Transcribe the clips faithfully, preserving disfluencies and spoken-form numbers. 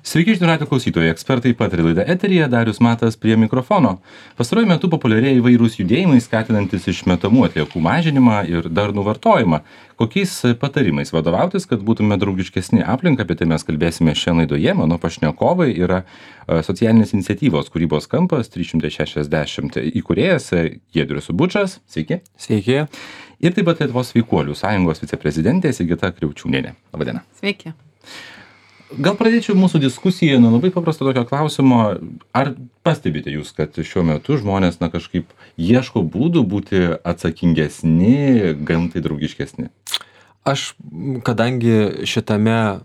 Sveiki, žinių radijo klausytojai, ekspertai pataria laida eteryje, Darius Matas prie mikrofono. Pastaruoju metu populiarėja įvairūs judėjimai, skatinantis išmetamų atliekų mažinimą ir darnų vartojimą. Kokiais patarimais vadovautis, kad būtume draugiškesni aplinkai, apie tai mes kalbėsime šiandien laidoje. Mano pašnekovai yra socialinės iniciatyvos kūrybos kampas trys šimtai šešiasdešimt įkūrėjas Giedrius Bučas. Sveiki. Sveiki. Ir taip pat Lietuvos sveikuolių sąjungos viceprezidentė Sigita Kriaučiūnienė. Labą dieną. Sveiki. Gal pradėčiau mūsų diskusiją nuo labai paprasto tokio klausimo. Ar pastebite jūs, kad šiuo metu žmonės na, kažkaip ieško būdų būti atsakingesni, gamtai draugiškesni? Aš, kadangi šitame,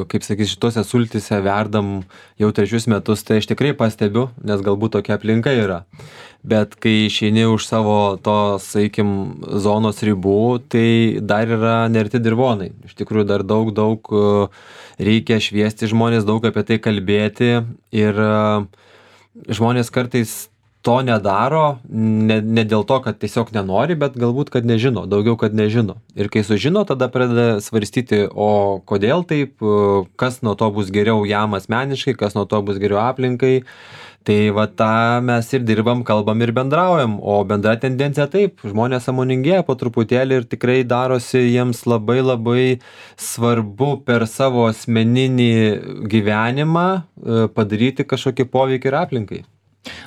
kaip sakys, šitose sultyse verdam jau trečius metus, tai aš tikrai pastebiu, nes galbūt tokia aplinka yra. Bet kai išeini už savo to, sakykim, zonos ribų, tai dar yra nerti dirvonai. Iš tikrųjų dar daug, daug reikia šviesti žmonės, daug apie tai kalbėti ir žmonės kartais to nedaro, ne, ne dėl to, kad tiesiog nenori, bet galbūt, kad nežino, daugiau, kad nežino. Ir kai sužino, tada pradeda svarstyti, o kodėl taip, kas nuo to bus geriau jam asmeniškai, kas nuo to bus geriau aplinkai. Tai va tą mes ir dirbam, kalbam ir bendraujam, o bendra tendencija taip, žmonės sąmoningėja po truputėlį ir tikrai darosi jiems labai labai svarbu per savo asmeninį gyvenimą padaryti kažkokį poveikį ir aplinkai.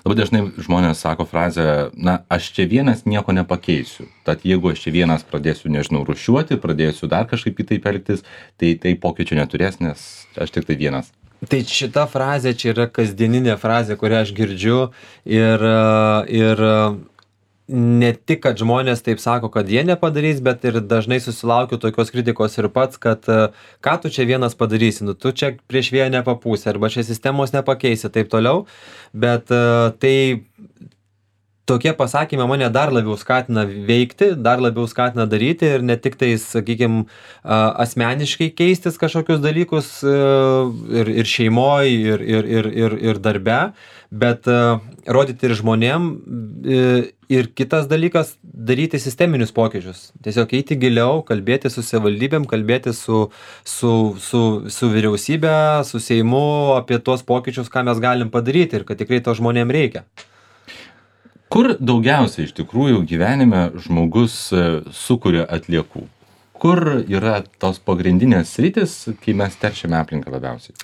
Labai dažnai žmonės sako frazę, na, aš čia vienas nieko nepakeisiu. Tad jeigu aš čia vienas pradėsiu, nežinau, rūšiuoti, pradėsiu dar kažkaip kitaip elgtis, tai tai pokyčių neturės, nes aš tik tai vienas. Tai šita frazė čia yra kasdieninė frazė, kurią aš girdžiu ir, ir ne tik, kad žmonės taip sako, kad jie nepadarys, bet ir dažnai susilaukiu tokios kritikos ir pats, kad ką tu čia vienas padarysi, nu tu čia prieš vėją nepapūsi arba čia sistemos nepakeisi, taip toliau, bet tai tokie pasakymai mane dar labiau skatina veikti, dar labiau skatina daryti ir ne tik tai, sakykime, asmeniškai keistis kažkokius dalykus ir, ir šeimoje, ir, ir, ir, ir, ir darbe, bet rodyti ir žmonėm. Ir kitas dalykas, daryti sisteminius pokyčius. Tiesiog eiti giliau, kalbėti su savivaldybėm, kalbėti su, su, su, su vyriausybė, su Seimu apie tuos pokyčius, ką mes galim padaryti ir kad tikrai to žmonėm reikia. Kur daugiausiai iš tikrųjų gyvenime žmogus sukuria atliekų? Kur yra tos pagrindinės sritis, kai mes teršiame aplinką labiausiai?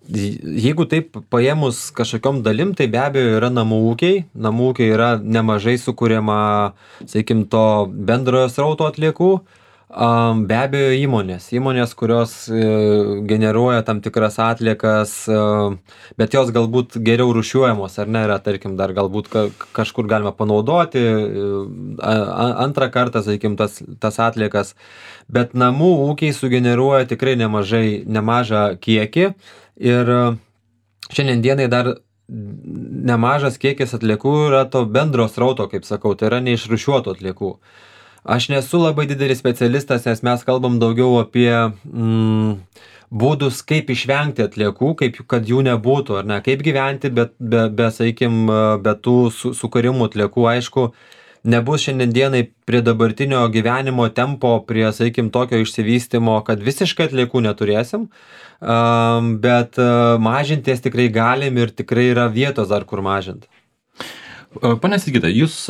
Jeigu taip paėmus kažkokiom dalim, tai be abejo yra namų ūkiai. Namų ūkiai yra nemažai sukuriama, sakykim, to bendrojo srauto atliekų. Be abejo įmonės. Įmonės, kurios generuoja tam tikras atliekas, bet jos galbūt geriau rūšiuojamos, ar ne, yra, tarkim, dar galbūt kažkur galima panaudoti antrą kartą, sakykim, tas, tas atliekas. Bet namų ūkiai sugeneruoja tikrai nemažai, nemažą kiekį ir šiandien dienai dar nemažas kiekis atliekų yra to bendro srauto, kaip sakau, tai yra neišrūšiuotų atliekų. Aš nesu labai didelis specialistas, nes mes kalbam daugiau apie mm, būdus, kaip išvengti atliekų, kaip, kad jų nebūtų, ar ne, kaip gyventi, bet be, be, sakykim, be tų su, sukarimų atliekų, aišku, nebus šiandien dienai prie dabartinio gyvenimo tempo, prie, sakykim, tokio išsivystimo, kad visiškai atliekų neturėsim, um, bet uh, mažinties tikrai galim ir tikrai yra vietos dar kur mažinti. Pane Sigita, jūs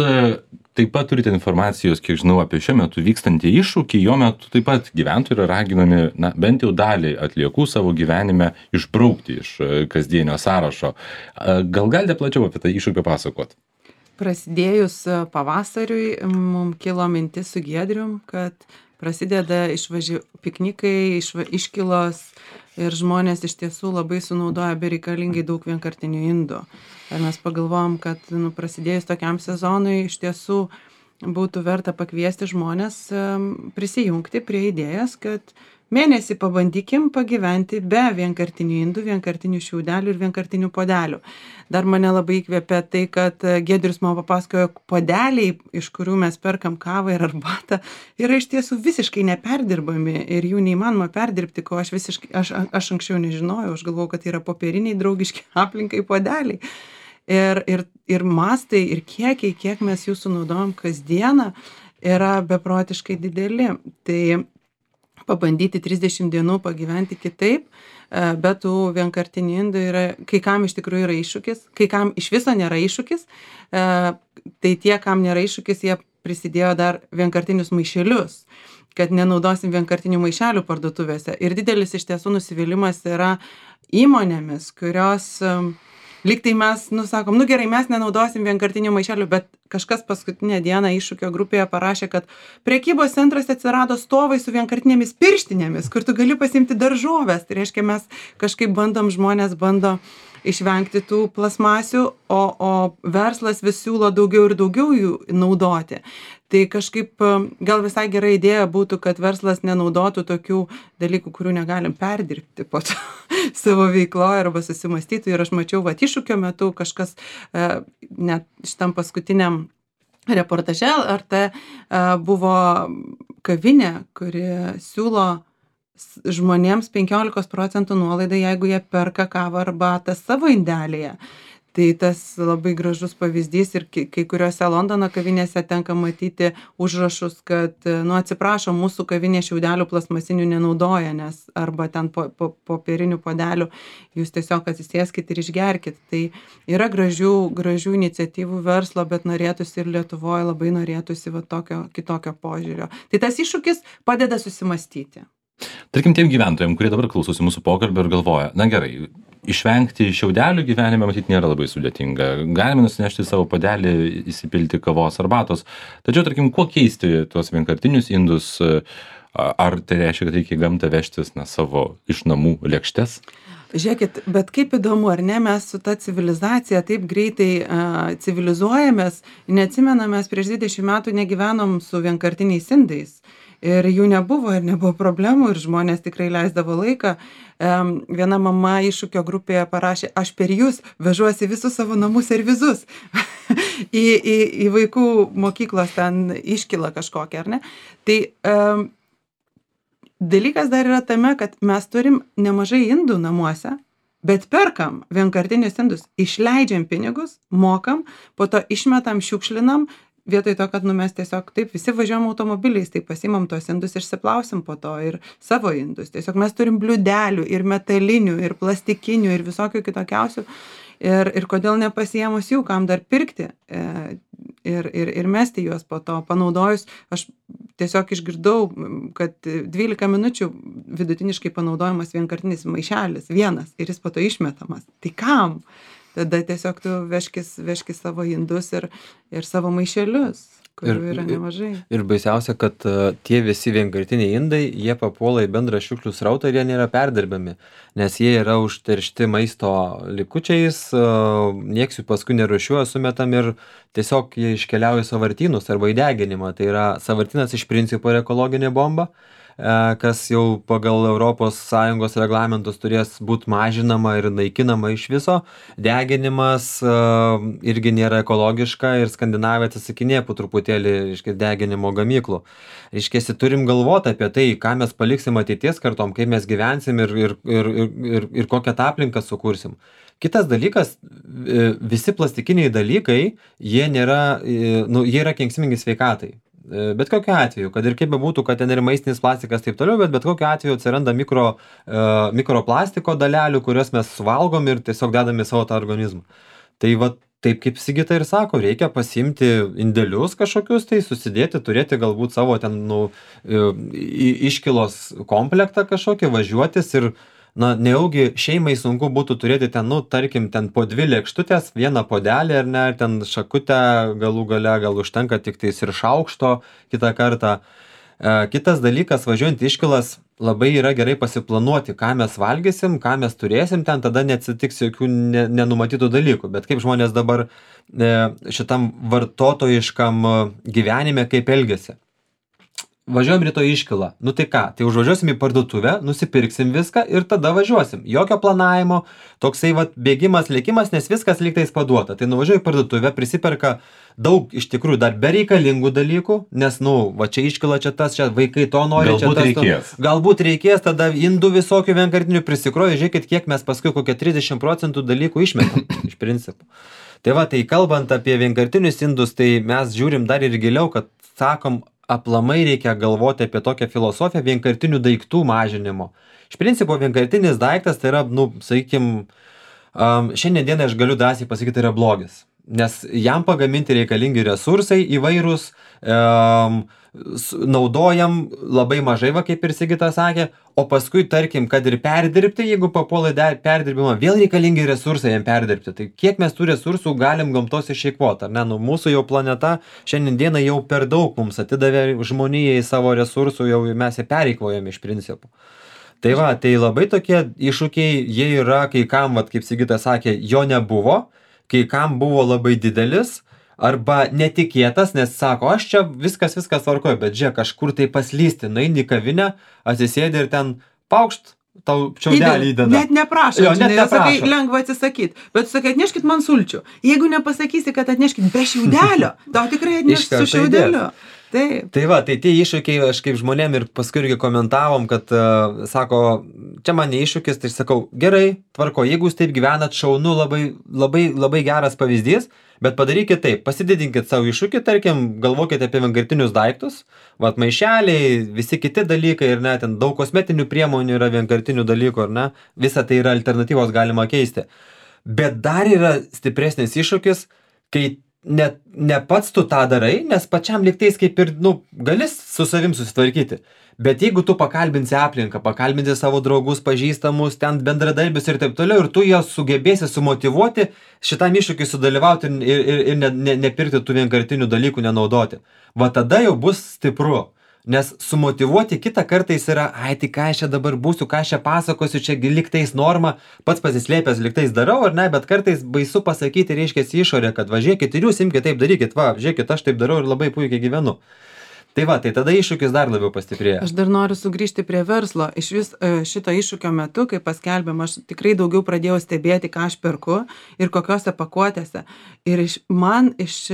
taip pat turite informacijos, kiek žinau, apie šiuo metu vykstantį iššūkį, jo metu taip pat gyventojai yra raginami, na, bent jau dalį atliekų savo gyvenime išbraukti iš kasdienio sąrašo. Gal galite plačiau apie tą iššūkį pasakoti? Prasidėjus pavasariui, mums kilo mintis su Giedrium, kad prasideda išvaži... piknikai, išva... iškilos ir žmonės iš tiesų labai sunaudoja bereikalingai daug vienkartinių indų. Ir mes pagalvojom, kad nu, prasidėjus tokiam sezonui iš tiesų būtų verta pakviesti žmonės prisijungti prie idėjas, kad mėnesį pabandykim pagyventi be vienkartinių indų, vienkartinių šiaudelių ir vienkartinių podelių. Dar mane labai įkvėpė tai, kad Giedrius man papasakojo, podeliai, iš kurių mes perkam kavą ir arbatą, yra iš tiesų visiškai neperdirbami ir jų neįmanoma perdirbti, ko aš visiškai, aš, aš anksčiau nežinojau, aš galvojau, kad tai yra popieriniai draugiški aplinkai podeliai. Ir, ir, ir mastai, ir kiekiai, kiek mes jų sunaudojam kasdieną, yra beprotiškai dideli. Tai pabandyti trisdešimt dienų pagyventi kitaip, bet tų vienkartinių indų yra, kai kam iš tikrųjų yra iššūkis, kai kam iš viso nėra iššūkis, tai tie, kam nėra iššūkis, jie prisidėjo dar vienkartinius maišelius, kad nenaudosim vienkartinių maišelių parduotuvėse. Ir didelis iš tiesų nusivylimas yra įmonėmis, kurios lyg tai mes, nu sakom, nu gerai, mes nenaudosim vienkartinių maišelių, bet kažkas paskutinę dieną iššūkio grupėje parašė, kad prekybos centruose atsirado stovai su vienkartinėmis pirštinėmis, kur tu gali pasimti daržoves. Tai reiškia, mes kažkaip bandom, žmonės bando išvengti tų plasmasių, o, o verslas vis siūlo daugiau ir daugiau jų naudoti. Tai kažkaip gal visai gera idėja būtų, kad verslas nenaudotų tokių dalykų, kurių negalim perdirbti po to savo veikloje arba susimastytų. Ir aš mačiau, va, iššūkio metu kažkas net šitam paskutiniam reportaže ar tai buvo kavinė, kuri siūlo žmonėms penkiolikos procentų nuolaidą, jeigu jie perka kavą arbatą savo indelėje. Tai tas labai gražus pavyzdys ir kai kuriuose Londono kavinėse tenka matyti užrašus, kad, nu, atsiprašo, mūsų kavinė šiaudelių plasmasinių nenaudoja, nes arba ten po, po, popierinių podelių jūs tiesiog atsisėskit ir išgerkit. Tai yra gražių, gražių iniciatyvų verslo, bet norėtųsi ir Lietuvoje labai norėtųsi va tokio kitokio požiūrio. Tai tas iššūkis padeda susimastyti. Tarkim, tiem gyventojams, kurie dabar klausosi mūsų pokalbio ir galvoja, na gerai, išvengti šiaudelių gyvenime matyti nėra labai sudėtinga. Galime nusinešti savo puodelį, įsipilti kavos arbatos. Tačiau, tarkim, kuo keisti tuos vienkartinius indus? Ar tai reiškia, kad reikia į gamtą vežtis na, savo iš namų lėkštes? Žiūrėkit, bet kaip įdomu, ar ne, mes su ta civilizacija taip greitai uh, civilizuojamės, neatsimenam, mes prieš dvidešimt metų negyvenom su vienkartiniais indais. Ir jų nebuvo, ir nebuvo problemų, ir žmonės tikrai leisdavo laiką. Um, viena mama iššūkio grupėje parašė, aš per jūs vežuosi visus savo namų servizus į, į, į vaikų mokyklos ten iškilą kažkokią, ar ne? Tai um, dalykas dar yra tame, kad mes turim nemažai indų namuose, bet perkam vienkartinius indus, išleidžiam pinigus, mokam, po to išmetam, šiukšlinam, vietoj to, kad nu, mes tiesiog taip visi važiuojam automobiliais, tai pasimam tos indus ir išsiplausim po to ir savo indus. Tiesiog mes turim bliūdelių ir metalinių, ir plastikinių, ir visokių kitokiausių. Ir, ir kodėl nepasiemus jų, kam dar pirkti e, ir, ir, ir mesti juos po to panaudojus. Aš tiesiog išgirdau, kad dvylika minučių vidutiniškai panaudojamas vienkartinis maišelis, vienas, ir jis po to išmetamas. Tai kam? Tada tiesiog tu vežkis, vežkis savo indus ir, ir savo maišelius, kurių yra nemažai. Ir, ir baisiausia, kad uh, tie visi vienkartiniai indai, jie papuola į bendrą šiukšlių srautą ir jie nėra perdirbami, nes jie yra užteršti maisto likučiais, uh, nieks jų paskui nerūšiuoja, sumetam ir tiesiog jie iškeliauja į sąvartynus arba į deginimą. Tai yra sąvartynas iš principo yra ekologinė bomba, kas jau pagal Europos Sąjungos reglamentus turės būti mažinama ir naikinama iš viso. Deginimas uh, irgi nėra ekologiška ir Skandinavija atsisakinėja po truputėlį, reiškia, deginimo gamyklų. Reiškia, turim galvoti apie tai, ką mes paliksim ateities kartom, kaip mes gyvensim ir, ir, ir, ir, ir kokią tą aplinką sukursim. Kitas dalykas, visi plastikiniai dalykai, jie nėra, nu, jie yra kenksmingi sveikatai. Bet kokiu atveju, kad ir kaip bebūtų, kad ten ir maistinis plastikas taip toliau, bet bet kokiu atveju atsiranda mikro, uh, mikroplastiko dalelių, kurias mes suvalgom ir tiesiog dedame savo tą organizmą. Tai va, taip kaip Sigita ir sako, reikia pasimti indelius kažkokius, tai susidėti, turėti galbūt savo ten, nu, iškilos komplektą kažkokį, važiuotis ir na, nejaugi šeimai sunku būtų turėti ten, nu, tarkim, ten po dvi lėkštutės, vieną puodelį ar ne, ten šakutę galų gale, gal užtenka tik tais ir šaukšto kitą kartą. E, kitas dalykas, važiuojant iškilas, labai yra gerai pasiplanuoti, ką mes valgysim, ką mes turėsim, ten tada neatsitiks jokių ne, nenumatytų dalykų. Bet kaip žmonės dabar e, šitam vartotojiškam gyvenime kaip elgiasi. Važiuojam rytoj iškilą. Nu tai ką, tai užvažiuosim į parduotuvę, nusipirksim viską ir tada važiuosim. Jokio planavimo, toksai vat bėgimas, lėkimas, nes viskas lygtais paduota. Tai nuvažiuoju į parduotuvę, prisiperka daug iš tikrųjų dar bereikalingų dalykų, nes, nu, va čia iškila, čia tas, čia vaikai to nori, galbūt čia tas. Reikės. To, galbūt reikės, tada indų visokių vienkartinių prisikroja, žiūrėkit, kiek mes paskui kokią trisdešimt procentų dalykų išmetam iš principo. Tai va, tai kalbant apie vienkartinius indus, tai mes žiūrim dar ir giliau, kad sakom, aplamai reikia galvoti apie tokią filosofiją vienkartinių daiktų mažinimo. Iš principo vienkartinis daiktas tai yra, nu, sakykim, um, šiandien dienai aš galiu drąsiai pasakyti, tai yra blogis. Nes jam pagaminti reikalingi resursai įvairūs, um, naudojam labai mažai, va kaip ir Sigitas sakė, o paskui, tarkim, kad ir perdirbti, jeigu papuola perdirbimą, vėl reikalingi resursai jam perdirbti. Tai kiek mes tų resursų galim gamtos išeikvoti, ar ne? Nu, mūsų jau planeta šiandien dieną jau per daug mums atidavė žmonijai savo resursų, jau mes ją pereikvojame iš principų. Tai va, tai labai tokie iššūkiai, jie yra, kai kam, va, kaip Sigitas sakė, jo nebuvo, kai kam buvo labai didelis, arba netikėtas, nes sako, aš čia viskas, viskas tvarkoju, bet žiūrėk, kažkur tai paslysti, nueini į kavinę, atsisėdi ir ten paukšt, tau čiaudelį įdeda. Net neprašo, jo, net žinai, neprašo. Sakai, lengva atsisakyti, bet sakai, atneškit man sulčių. Jeigu nepasakysi, kad atneškit be šiaudelio, tau tikrai atneš su šiaudeliu. Taip. Tai va, tai tie iššūkiai, aš kaip žmonėm ir paskui irgi komentavom, kad uh, sako, čia man ne iššūkis, tai sakau, gerai, tvarko, jeigu jūs taip gyvenat, šaunu, labai, labai, labai geras pavyzdys, bet padarykit taip, pasididinkit savo iššūkį, tarkim, galvokite apie vienkartinius daiktus, vat maišeliai, visi kiti dalykai ir net ten daug kosmetinių priemonių yra vienkartinių dalykų, ar ne, visa tai yra alternatyvos galima keisti. Bet dar yra stipresnis iššūkis, kai ne, ne pats tu tą darai, nes pačiam liktais kaip ir, nu, gali su savim susitvarkyti. Bet jeigu tu pakalbinsi aplinką, pakalbinsi savo draugus, pažįstamus, ten bendradarbius ir taip toliau, ir tu juos sugebėsi sumotyvuoti šitam iššūkiui sudalyvauti ir, ir, ir ne, ne, nepirkti tų vienkartinių dalykų, nenaudoti. Va tada jau bus stipru. Nes sumotyvuoti kitą kartais yra, ai, tai ką aš čia dabar būsiu, ką aš čia pasakosiu, čia liktais norma, pats pasislėpęs liktais darau, ar ne, bet kartais baisu pasakyti, reiškia išorė, kad va, žiūrėkit ir jūs imkite taip darykit, va, žiūrėkit, aš taip darau ir labai puikiai gyvenu. Tai va, tai tada iššūkis dar labiau pastiprėja. Aš dar noriu sugrįžti prie verslo. Iš vis šito iššūkio metu, kai paskelbėm, aš tikrai daugiau pradėjau stebėti, ką aš perku ir kokiose pakuotėse. Ir iš, man iš,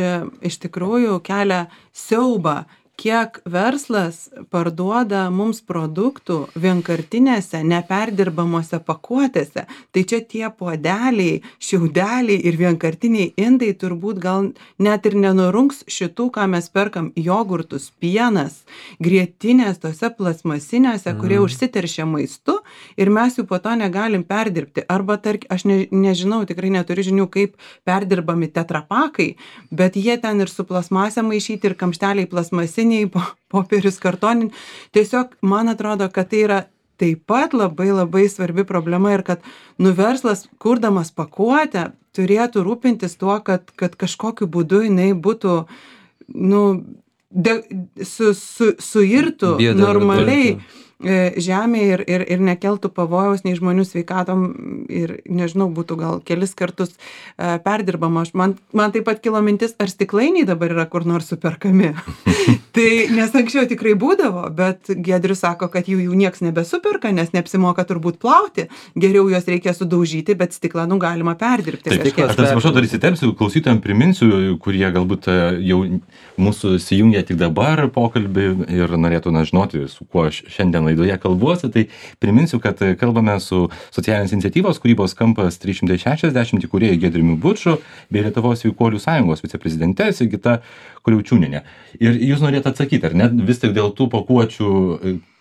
iš tikrųjų kelia siaubą, kiek verslas parduoda mums produktų vienkartinėse, neperdirbamuose pakuotėse. Tai čia tie puodeliai, šiaudeliai ir vienkartiniai indai turbūt gal net ir nenurungs šitų, ką mes perkam, jogurtus, pienas, grietinės tose plasmasinėse, mm. kurie užsiteršia maistu ir mes jų po to negalim perdirbti. Arba, tark, aš ne, nežinau, tikrai neturiu žinių, kaip perdirbami tetrapakai, bet jie ten ir su plasmasė maišyti, ir kamšteliai plasmasiniai, popierius kartonin. Tiesiog man atrodo, kad tai yra taip pat labai labai svarbi problema ir kad nu verslas, kurdamas pakuotę, turėtų rūpintis tuo, kad, kad kažkokiu būdu jinai būtų nu, de, su, su, suirtų normaliai žemėje ir, ir, ir nekeltų pavojaus nei žmonių sveikatom ir, nežinau, būtų gal kelis kartus e, perdirbama. Man, man taip pat kilo mintis, ar stiklainiai dabar yra kur nors superkami. Tai, nes anksčiau tikrai būdavo, bet Giedrius sako, kad jų, jų nieks nebesuperka, nes neapsimoka turbūt plauti. Geriau juos reikia sudaužyti, bet stiklą nu galima perdirbti. Taip, aš atsiprašau, dar įsitempsiu, klausytojams priminsiu, kurie galbūt jau mūsų įsijungia tik dabar pokalbį ir norėtų na, žinoti, su kuo šiandien laidoje kalbuosi, tai priminsiu, kad kalbame su socialinės iniciatyvos kūrybos kampas trys šimtai šešiasdešimt įkūrėjų Giedriumi Buču bei Lietuvos sveikuolių sąjungos viceprezidente Sigita Kriaučiūnienė. Ir jūs norėt atsakyti, ar ne, vis tik dėl tų pakuočių,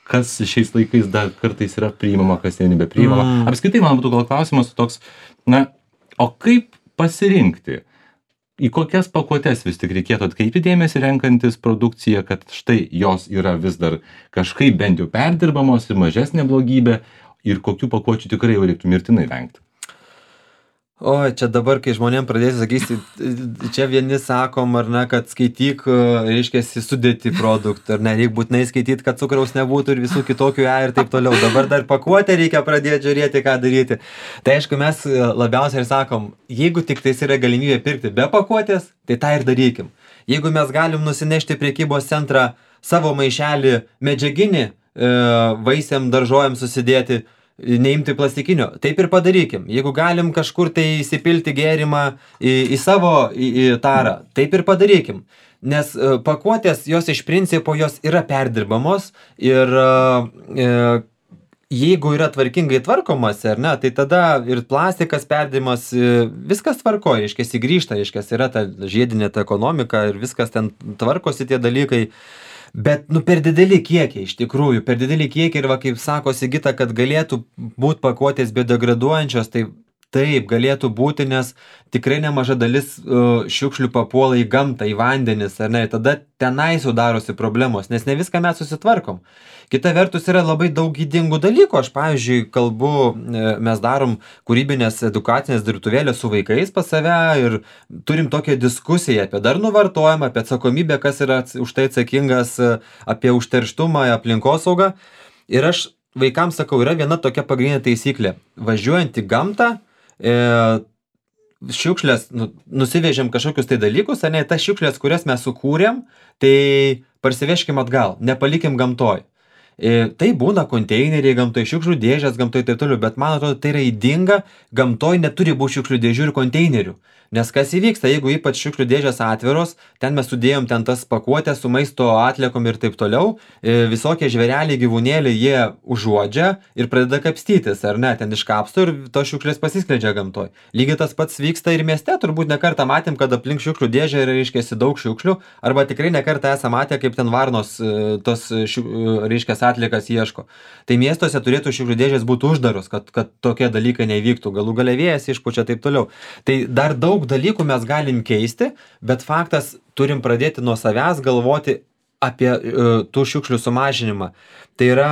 kas šiais laikais dar kartais yra priimama, kas nebepriimama. Mm. Apskritai, man būtų gal klausimas toks, na, o kaip pasirinkti? Į kokias pakuotes vis tik reikėtų atkreipti dėmesį renkantis produkciją, kad štai jos yra vis dar kažkaip bent jau perdirbamos ir mažesnė blogybė ir kokių pakuočių tikrai jau reiktų mirtinai vengti? O, čia dabar, kai žmonėm pradėsi sakysi, čia vieni sakom, ar ne, kad skaityk, reiškia, sudėti produktą, ar ne, reikia būtinai skaityti, kad cukraus nebūtų ir visų kitokių e ir taip toliau. Dabar dar pakuotę reikia pradėti žiūrėti, ką daryti. Tai aišku, mes labiausiai ir sakom, jeigu tik tais yra galimybė pirkti be pakuotės, tai tą ir darykim. Jeigu mes galim nusinešti prekybos centrą savo maišelį medžiaginį, vaisiam, daržovėm susidėti, neimti plastikinio, taip ir padarykim. Jeigu galim kažkur tai įsipilti gėrimą į, į savo į, į tarą, taip ir padarykim. Nes uh, pakuotės, jos iš principo, jos yra perdirbamos ir uh, uh, jeigu yra tvarkingai tvarkomas, ar ne, tai tada ir plastikas perdirbamas, uh, viskas tvarkoja, reiškia, grįžta, reiškia, yra ta žiedinė ta ekonomika ir viskas ten tvarkosi tie dalykai. Bet, nu, per dideli kiekiai, iš tikrųjų, per dideli kiekiai ir va, kaip sako Sigita, kad galėtų būti pakuotės biodegraduojančios, tai taip, galėtų būti, nes tikrai nemaža dalis uh, šiukšlių papuola į gamtą, į vandenis, ar ne, tada tenai sudarosi problemos, nes ne viską mes susitvarkom. Kita vertus yra labai daug ydingų dalykų, aš, pavyzdžiui, kalbu, mes darom kūrybinės edukacinės dirbtuvėlės su vaikais pas save ir turim tokią diskusiją apie darnų vartojimą, apie atsakomybę, kas yra už tai atsakingas, apie užterštumą, aplinkosaugą. Ir aš vaikams sakau, yra viena tokia pagrindinė taisyklė. Važiuojant į gamtą, e, šiukšlės, nu, nusivežėm kažkokius tai dalykus, ar ne, tas šiukšlės, kurias mes sukūrėm, tai parsiveškim atgal, nepalikim gamtoj. E, tai būna konteineriai gamtoj, šiukšlių dėžės gamtoj ir taip toliau, bet man atrodo, tai yra ydinga, gamtoj neturi būti šiukšlių dėžių ir konteinerių. Nes kas įvyksta, jeigu ypač šiukšlių dėžės atviros, ten mes sudėjom ten tas pakuotės su maisto atliekom ir taip toliau, e, visokie žvėreliai, gyvūnėliai, jie užuodžia ir pradeda kapstytis, ar ne, ten iškapsto ir tos šiukšlės pasiskleidžia gamtoj. Lygiai tas pats vyksta ir mieste, turbūt nekartą matėm, kad aplink šiukšlių dėžę yra, reiškiasi, daug šiukšlių, arba tikrai nekartą esame matę, kaip ten varnos e, tos, šiuk, reiškiasi, atliekas ieško. Tai miestuose turėtų šiukšlių dėžės būti uždaros, kad, kad tokie dalykai nevyktų, galų gale vėjas išpučia taip toliau. Tai dar daug dalykų mes galim keisti, bet faktas turim pradėti nuo savęs galvoti apie uh, tų šiukšlių sumažinimą. Tai yra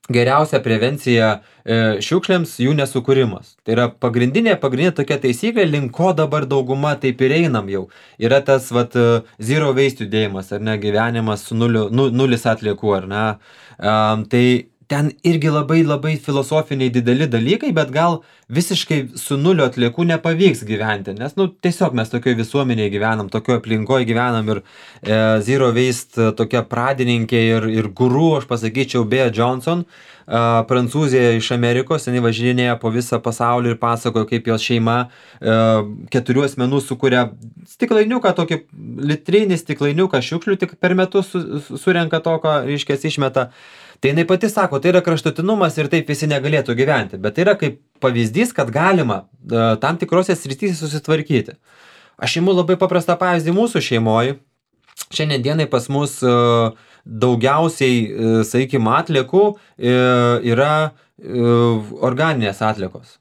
geriausia prevencija uh, šiukšlėms jų nesukūrimas. Tai yra pagrindinė, pagrindinė tokia taisyklė, link ko dabar dauguma taip ir einam jau. Yra tas vat, uh, zero waste judėjimas, ar ne, gyvenimas su nuliu, nu, nulis atliekų, ar ne. Um, tai ten irgi labai labai filosofiniai dideli dalykai, bet gal visiškai su nulio atliekų nepavyks gyventi, nes nu, tiesiog mes tokioje visuomenėje gyvenam, tokioje aplinkoje gyvenam ir e, Zero Waste tokia pradininkė ir, ir guru, aš pasakyčiau, Bea Johnson, e, prancūzė iš Amerikos, jinai važinėja po visą pasaulį ir pasakojo, kaip jos šeima e, keturių asmenų sukuria stiklainiuką, tokį litrinį stiklainiuką šiukšlių tik per metus su, su, surenka tokio, reiškia, išmeta. Tai jinai pati sako, tai yra kraštutinumas ir taip visi negalėtų gyventi, bet tai yra kaip pavyzdys, kad galima uh, tam tikrose srityse susitvarkyti. Aš imu labai paprastą pavyzdį mūsų šeimoje. Šiandien dienai pas mus uh, daugiausiai, uh, sakykime, atliekų uh, yra uh, organinės atliekos.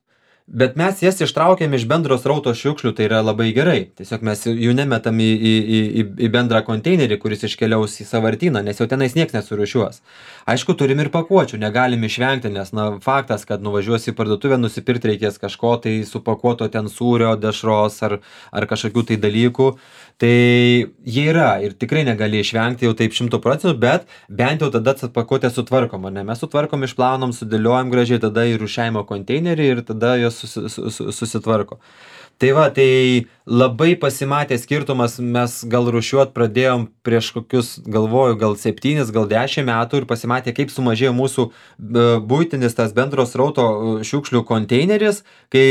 Bet mes jas ištraukėm iš bendros srauto šiukšlių, tai yra labai gerai. Tiesiog mes jų nemetam į, į, į, į bendrą konteinerį, kuris iškeliaus į sąvartyną, nes jau tenais nieks nesurūšiuos. Aišku, turim ir pakuočių, negalim išvengti, nes na, faktas, kad nuvažiuosi į parduotuvę, nusipirkti reikės kažko, tai supakuoto ten sūrio, dešros ar, ar kažkokių tai dalykų. Tai jie yra ir tikrai negali išvengti jau taip šimtų procentų, bet bent jau tada pakuotę sutvarkom, ne? Mes sutvarkom, išplaunam, sudėliojam gražiai, tada į rūšiavimo konteinerį ir tada jos susi, susi, susitvarko. Tai va, tai labai pasimatė skirtumas, mes gal rūšiuot pradėjom prieš kokius, galvoju, gal septynis, gal dešimt metų ir pasimatė, kaip sumažėjo mūsų buitinis tas bendros srauto šiukšlių konteineris, kai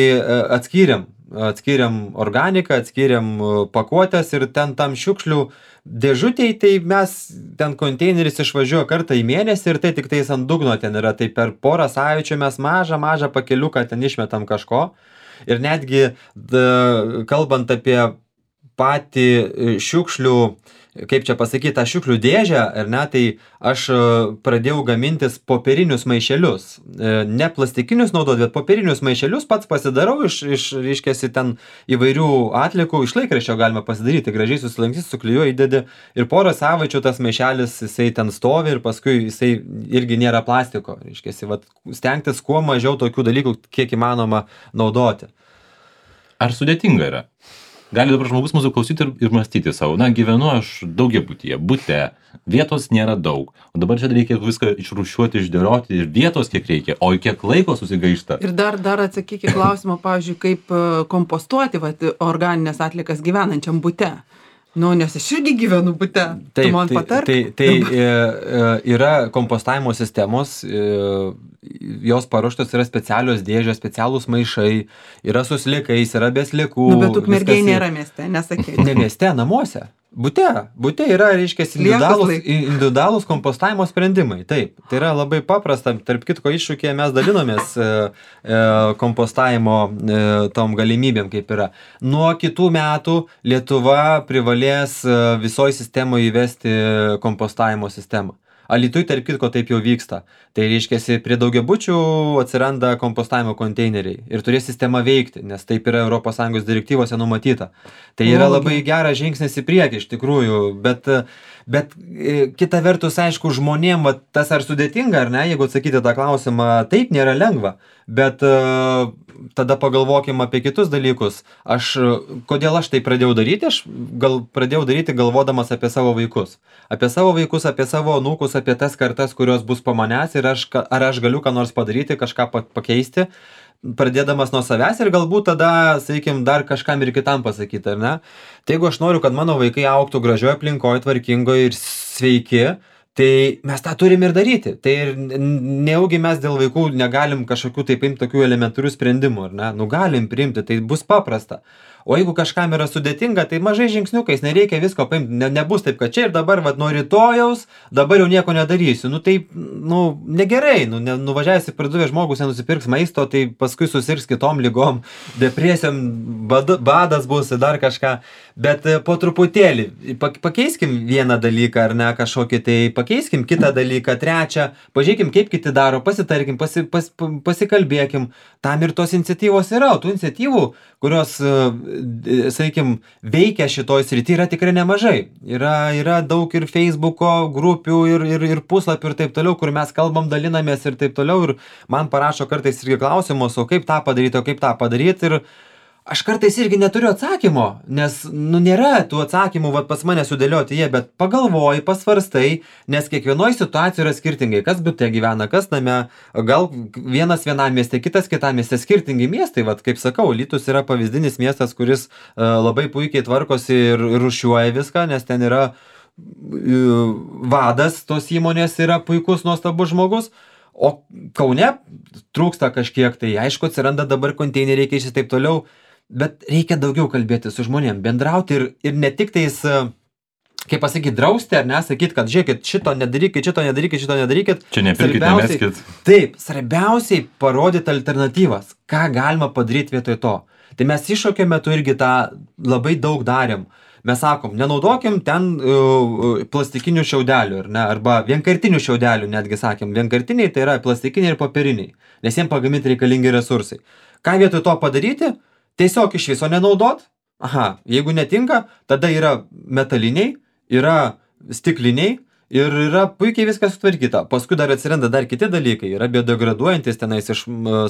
atskyrėm, atskyrėm organiką, atskyrėm pakuotės ir ten tam šiukšlių dėžutėj, tai mes ten konteineris išvažiuoja kartą į mėnesį ir tai tik tais ant dugno ten yra, tai per porą savaičių mes mažą, mažą pakeliuką ten išmetam kažko. Ir netgi da, kalbant apie patį šiukšlių, kaip čia pasakyti, tą šiukšlių dėžę, ar ne, tai aš pradėjau gamintis popierinius maišelius. Ne plastikinius naudoti, bet popierinius maišelius pats pasidarau iš, iš reiškiasi, ten įvairių atliekų, iš laikraščio galima pasidaryti, gražiai susilankys, suklijuoji, įdedi ir porą savaičių tas maišelis, jisai ten stovi ir paskui jisai irgi nėra plastiko. Reiškiasi, vat, stengtis kuo mažiau tokių dalykų, kiek įmanoma naudoti. Ar sudėtinga yra? Gali dabar žmogus mūsų klausyti ir, ir mąstyti savo, na, gyvenu aš daugiabutyje, bute, vietos nėra daug, o dabar čia reikia viską išrūšiuoti, išdėlioti ir vietos kiek reikia, o kiek laiko susigaišta. Ir dar, dar atsakykit klausimą, pavyzdžiui, kaip kompostuoti vat, organinės atliekas gyvenančiam bute. Nu, nes aš irgi gyvenu bute, taip, tu man tai, patark. Tai, tai e, yra kompostavimo sistemos, e, jos paruoštos yra specialios dėžės, specialūs maišai, yra su sliekais, yra be sliekų. Nu, bet ukmergėj nėra mieste, nesakė. Ne mieste, namuose. Bute, bute yra, reiškia, individualūs, individualūs kompostavimo sprendimai. Taip, tai yra labai paprasta. Tarp kitko iššūkėje mes dalinomės e, e, kompostavimo e, tom galimybėm, kaip yra. Nuo kitų metų Lietuva privalės e, visoje sistemoje įvesti kompostavimo sistemą. Alytuj, tarp kitko, taip jau vyksta. Tai reiškia, prie daugiabučių atsiranda kompostavimo konteineriai ir turės sistema veikti, nes taip yra Europos Sąjungos direktyvose numatyta. Tai yra labai geras žingsnis į priekį, iš tikrųjų, bet, bet kita vertus, aišku, žmonėm, va, tas ar sudėtinga, ar ne, jeigu atsakyti tą klausimą, taip nėra lengva, bet uh, tada pagalvokim apie kitus dalykus. Aš, kodėl aš tai pradėjau daryti? Aš gal pradėjau daryti galvodamas apie savo vaikus. Apie savo vaikus, apie savo anūkus, apie tas kartas, kurios bus po manęs ir aš, ar aš galiu ką nors padaryti, kažką pakeisti, pradėdamas nuo savęs ir galbūt tada, sakykim, dar kažkam ir kitam pasakyti, ar ne? Tai jeigu aš noriu, kad mano vaikai augtų gražioje aplinkoje, tvarkingoje ir sveiki, tai mes tą turim ir daryti. Tai ir nejaugi mes dėl vaikų negalim kažkokių taip imti tokių elementarių sprendimų, ar ne? Nu galim priimti, tai bus paprasta. O jeigu kažkam yra sudėtinga, tai mažai žingsniukais, nereikia visko paimti, ne, nebus taip, kad čia ir dabar, vat, nuo rytojaus, dabar jau nieko nedarysiu. Nu taip, nu, negerai, nu, ne, nuvažiavęs į parduotuvę žmogus nenusipirks maisto, tai paskui susirgs kitom ligom, depresijom, bad, badas bus, dar kažką. Bet po truputėlį, pakeiskim vieną dalyką, ar ne, kažkokį, tai pakeiskim kitą dalyką, trečią, pažiūrėkim, kaip kiti daro, pasitarkim, pasi, pas, pasikalbėkim, tam ir tos iniciatyvos yra, o tų iniciatyvų, kurios, sakykim, veikia šitoj srity, yra tikrai nemažai. Yra, yra daug ir Facebooko grupių, ir, ir, ir puslapių ir taip toliau, kur mes kalbam, dalinamės ir taip toliau, ir man parašo kartais irgi klausimus, o kaip tą padaryti, o kaip tą padaryti, ir aš kartais irgi neturiu atsakymo, nes, nu, nėra tų atsakymų, vat, pas mane sudėlioti jie, bet pagalvoji, pasvarstai, nes kiekvienoje situacijoje yra skirtingai, kas bute gyvena, kas name, gal vienas vienam mieste, kitas kitam mieste, skirtingi miestai, vat, kaip sakau, Alytus yra pavyzdinis miestas, kuris uh, labai puikiai tvarkosi ir, ir rūšiuoja viską, nes ten yra uh, vadas tos įmonės, yra puikus, nuostabus žmogus. O Kaune trūksta kažkiek, tai aišku, atsiranda dabar konteineriai, keičiasi taip toliau. Bet reikia daugiau kalbėti su žmonėm, bendrauti ir, ir ne tik tais, kaip pasakyti, drausti, ar ne, sakyti, kad žiūrėkit, šito nedarykit, šito nedarykit, šito nedarykit. Čia nepirkit, nemeskit. Taip, svarbiausiai parodyti alternatyvas, ką galima padaryti vietoj to. Tai mes iššūkio metu irgi tą labai daug darėm. Mes sakom, nenaudokim ten uh, plastikinių šiaudelių, ar ne, arba vienkartinių šiaudelių, netgi sakėm, vienkartiniai tai yra plastikiniai ir popieriniai, nes jiems pagaminti reikalingi resursai. Ką vietoj to padaryti? Tiesiog iš viso nenaudot. Aha, jeigu netinka, tada yra metaliniai, yra stikliniai ir yra puikiai viskas sutvarkyta. Paskui dar atsiranda dar kiti dalykai. Yra biodegraduojantis tenais iš,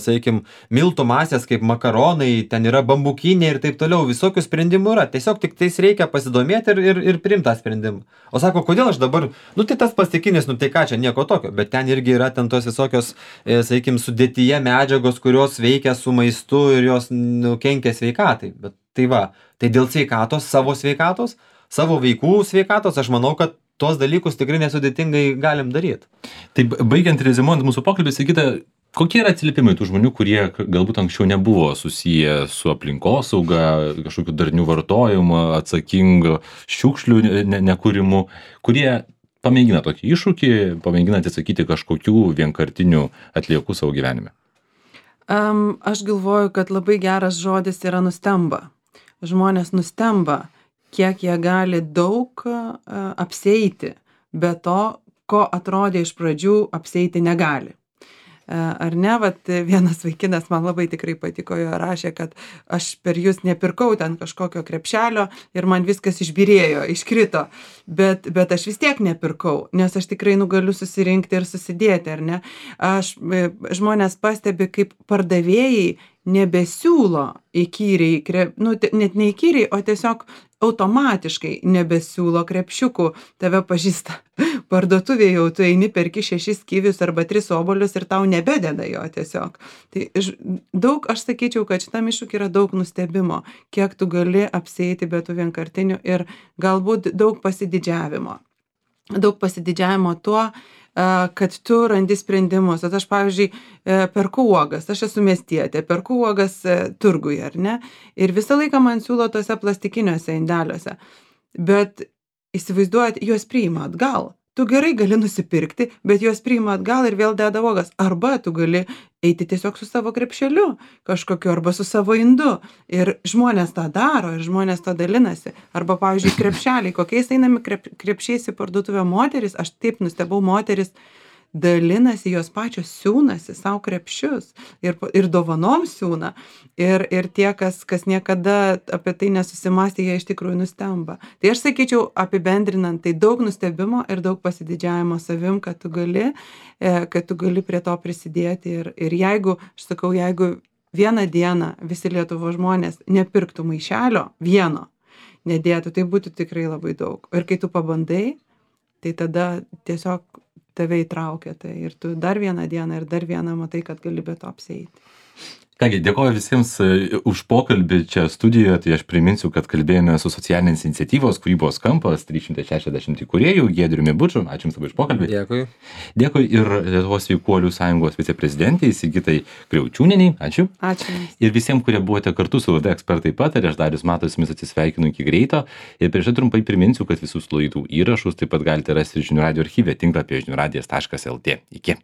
sakykim, miltų masės, kaip makaronai, ten yra bambukiniai ir taip toliau. Visokių sprendimų yra. Tiesiog tik tais reikia pasidomėti ir, ir, ir priimti tą sprendimą. O sako, kodėl aš dabar, nu tai tas plastikinis, nu tai ką čia, nieko tokio. Bet ten irgi yra ten tos visokios, e, sakykim, sudėtyje medžiagos, kurios veikia su maistu ir jos, nu, kenkia sveikatai. Bet tai va, tai dėl sveikatos, savo sveikatos, savo vaikų sveikatos, aš manau, kad tuos dalykus tikrai nesudėtingai galim daryti. Taip, baigiant rezimuojant mūsų pokalbį, Sigita, kokie yra atsiliepimai tų žmonių, kurie galbūt anksčiau nebuvo susiję su aplinkosauga, kažkokiu darnių vartojimu, atsakingu šiukšlių ne, nekūrimu, kurie pamėgina tokį iššūkį, pamėgina atsisakyti kažkokių vienkartinių atliekų savo gyvenime? Um, aš galvoju, kad labai geras žodis yra nustemba. Žmonės nustemba, kiek jie gali daug uh, apsieiti, be to, ko atrodė iš pradžių apsieiti negali. Uh, ar ne, vat vienas vaikinas man labai tikrai patiko, jo rašė, kad aš per jūs nepirkau ten kažkokio krepšelio ir man viskas išbyrėjo, iškrito, bet, bet aš vis tiek nepirkau, nes aš tikrai nu galiu susirinkti ir susidėti, ar ne. Aš, žmonės pastebi, kaip pardavėjai nebesiūlo įkyriai, krep, nu, net ne įkyriai, o tiesiog automatiškai nebesiūlo krepšiukų, tave pažįsta parduotuvėje, jau tu eini, perki šešis kivius arba tris obuolius ir tau nebededa jo tiesiog. Tai daug, aš sakyčiau, kad šitam iššūkiui yra daug nustebimo, kiek tu gali apsieiti be tų vienkartinių ir galbūt daug pasididžiavimo. Daug pasididžiavimo tuo, kad tu randi sprendimus. Aš, pavyzdžiui, perku uogas, aš esu miestietė, perku uogas turguje, ar ne? Ir visą laiką man siūlo tose plastikiniuose indeliuose. Bet įsivaizduojat, juos priima atgal. Tu gerai gali nusipirkti, bet juos priima atgal ir vėl deda uogas. Arba tu gali eiti tiesiog su savo krepšeliu kažkokiu, arba su savo indu. Ir žmonės tą daro, ir žmonės to dalinasi. Arba, pavyzdžiui, krepšeliai, kokiais einami krep, krepšiais į parduotuvę moteris, aš taip nustebau, moteris dalinasi, jos pačios siūnasi savo krepšius ir, ir dovanom siūna. Ir, ir tie, kas, kas niekada apie tai nesusimastė, jie iš tikrųjų nustemba. Tai aš sakyčiau, apibendrinant, tai daug nustebimo ir daug pasididžiavimo savim, kad tu gali, kad tu gali prie to prisidėti. Ir, ir jeigu, aš sakau, jeigu vieną dieną visi Lietuvos žmonės nepirktų maišelio vieno, nedėtų, tai būtų tikrai labai daug. Ir kai tu pabandai, tai tada tiesiog tave įtraukia tai ir tu dar vieną dieną ir dar vieną matai, kad gali be to apsieiti. Kągi, dėkoju visiems už pokalbį čia studijoje. Tai aš priminsiu, kad kalbėjome su socialinės iniciatyvos Kūrybos kampas trys šimtai šešiasdešimt įkūrėjų Giedriumi Buču. Ačiū Jums labai už pokalbį. Dėkui. Dėkui ir Lietuvos sveikuolių sąjungos viceprezidentei Sigitai Kriaučiūnienei. Ačiū. Ačiū. Ir visiems, kurie buvote kartu su laida Ekspertai pataria, aš Darius Matas, jumis atsisveikinu iki greito. Ir prieš tai trumpai priminsiu, kad visus laidų įrašus taip pat galite rasti žinių radijo archyve tinklapyje žinių radijas taškas lt. Iki.